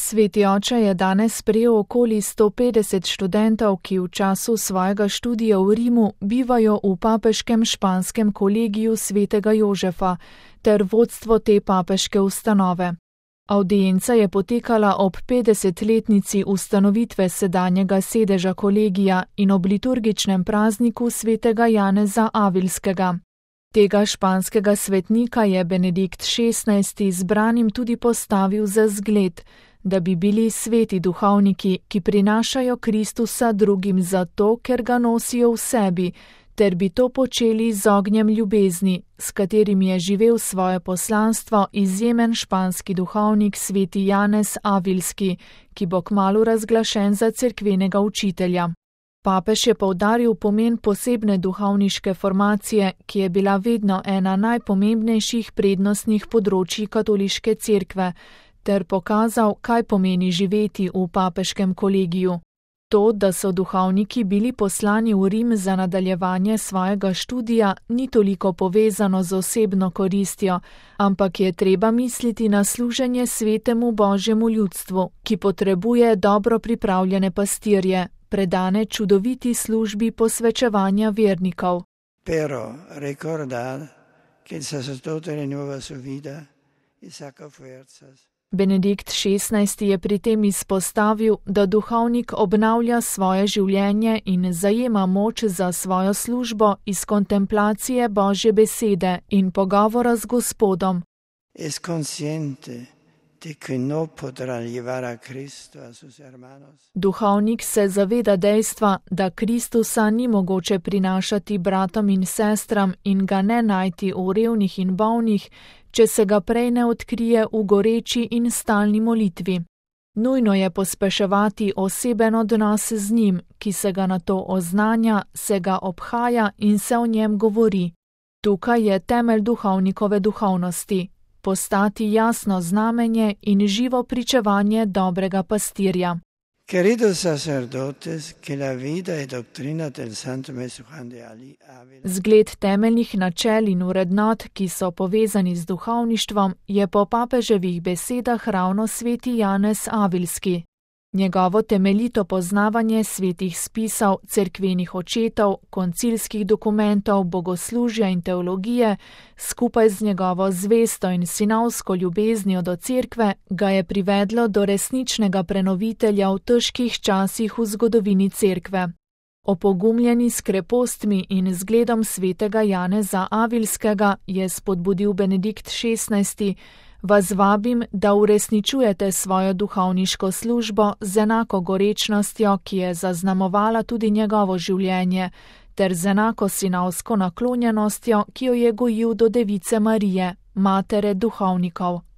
Sveti oče je danes sprejel okoli 150 študentov, ki v času svojega študija v Rimu bivajo v papeškem španskem kolegiju svetega Jožefa ter vodstvo te papeške ustanove. Avdienca je potekala ob 50-letnici ustanovitve sedanjega sedeža kolegija in ob liturgičnem prazniku svetega Janeza Avilskega. Tega španskega svetnika je Benedikt XVI zbranim tudi postavil za zgled, da bi bili sveti duhovniki, ki prinašajo Kristusa drugim zato, ker ga nosijo v sebi, ter bi to počeli z ognjem ljubezni, s katerim je živel svoje poslanstvo izjemen španski duhovnik sveti Janez Avilski, ki bo kmalu razglašen za cerkvenega učitelja. Papež je poudaril pomen posebne duhovniške formacije, ki je bila vedno ena najpomembnejših prednostnih področij katoliške cerkve, ter pokazal, kaj pomeni živeti v papeškem kolegiju. To, da so duhovniki bili poslani v Rim za nadaljevanje svojega študija, ni toliko povezano z osebno koristjo, ampak je treba misliti na služenje svetemu Božjemu ljudstvu, ki potrebuje dobro pripravljene pastirje, predane čudoviti službi posvečevanja vernikov. Pero recordar que el sacerdote renueva su vida y saca fuerzas. Benedikt XVI je pri tem izpostavil, da duhovnik obnavlja svoje življenje in zajema moč za svojo službo iz kontemplacije Božje besede in pogovora z Gospodom. Es consciente de que no podrá llevar a Cristo a sus hermanos. Duhovnik se zaveda dejstva, da Kristusa ni mogoče prinašati bratom in sestram in ga ne najti v revnih in bolnih, če se ga prej ne odkrije v goreči in stalni molitvi. Nujno je pospeševati oseben odnos z njim, ki se ga nato oznanja, se ga obhaja in se o njem govori. Tukaj je temelj duhovnikove duhovnosti. Postati jasno znamenje in živo pričevanje dobrega pastirja. Queridos sacerdotes, que la vida y doctrina del Santo Maestro Juan de Ávila. Zgled temeljnih načel in vrednot, ki so povezani z duhovništvom, je po papeževih besedah ravno sveti Janez Avilski. Njegovo temeljito poznavanje svetih spisov, cerkvenih očetov, koncilskih dokumentov, bogoslužja in teologije, skupaj z njegovo zvesto in sinovsko ljubeznijo do cerkve, ga je privedlo do resničnega prenovitelja v težkih časih v zgodovini cerkve. Opogumljeni s krepostmi in zgledom svetega Janeza Avilskega je spodbudil Benedikt XVI, vas vabim, da uresničujete svojo duhovniško službo z enako gorečnostjo, ki je zaznamovala tudi njegovo življenje, ter z enako sinovsko naklonjenostjo, ki jo je gojil do Device Marije, matere duhovnikov.